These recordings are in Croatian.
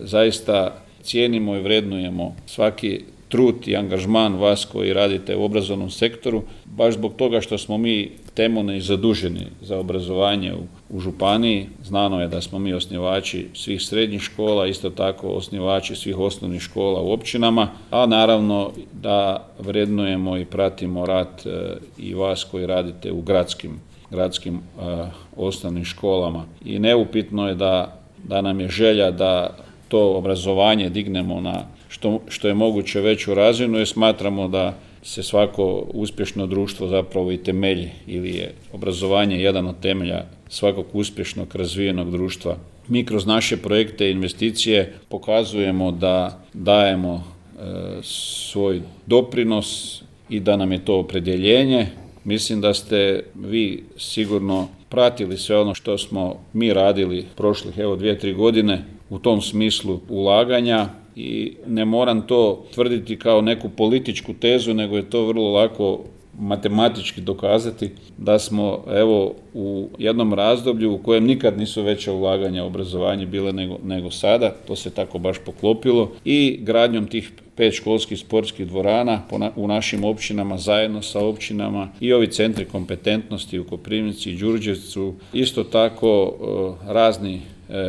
zaista cijenimo i vrednujemo svaki trud i angažman vas koji radite u obrazovnom sektoru, baš zbog toga što smo mi temeljno i zaduženi za obrazovanje u županiji. Znano je da smo mi osnivači svih srednjih škola, isto tako osnivači svih osnovnih škola u općinama, a naravno da vrednujemo i pratimo rad i vas koji radite u gradskim osnovnim školama. I neupitno je da nam je želja da to obrazovanje dignemo na što je moguće veću razinu, jer smatramo da se svako uspješno društvo zapravo i temelji, ili je obrazovanje jedan od temelja svakog uspješnog razvijenog društva. Mi kroz naše projekte i investicije pokazujemo da dajemo svoj doprinos i da nam je to opredjeljenje. Mislim da ste vi sigurno pratili sve ono što smo mi radili prošlih 2-3 godine u tom smislu ulaganja i ne moram to tvrditi kao neku političku tezu, nego je to vrlo lako matematički dokazati da smo u jednom razdoblju u kojem nikad nisu veća ulaganja u obrazovanje bile nego sada, to se tako baš poklopilo, i gradnjom tih 5 školskih sportskih dvorana u našim općinama zajedno sa općinama i ovi centri kompetentnosti u Koprivnici i Đurđevcu, isto tako razni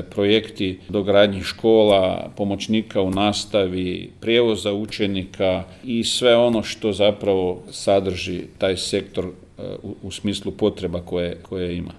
projekti dogradnji škola, pomoćnika u nastavi, prijevoza učenika i sve ono što zapravo sadrži taj sektor u smislu potreba koje ima.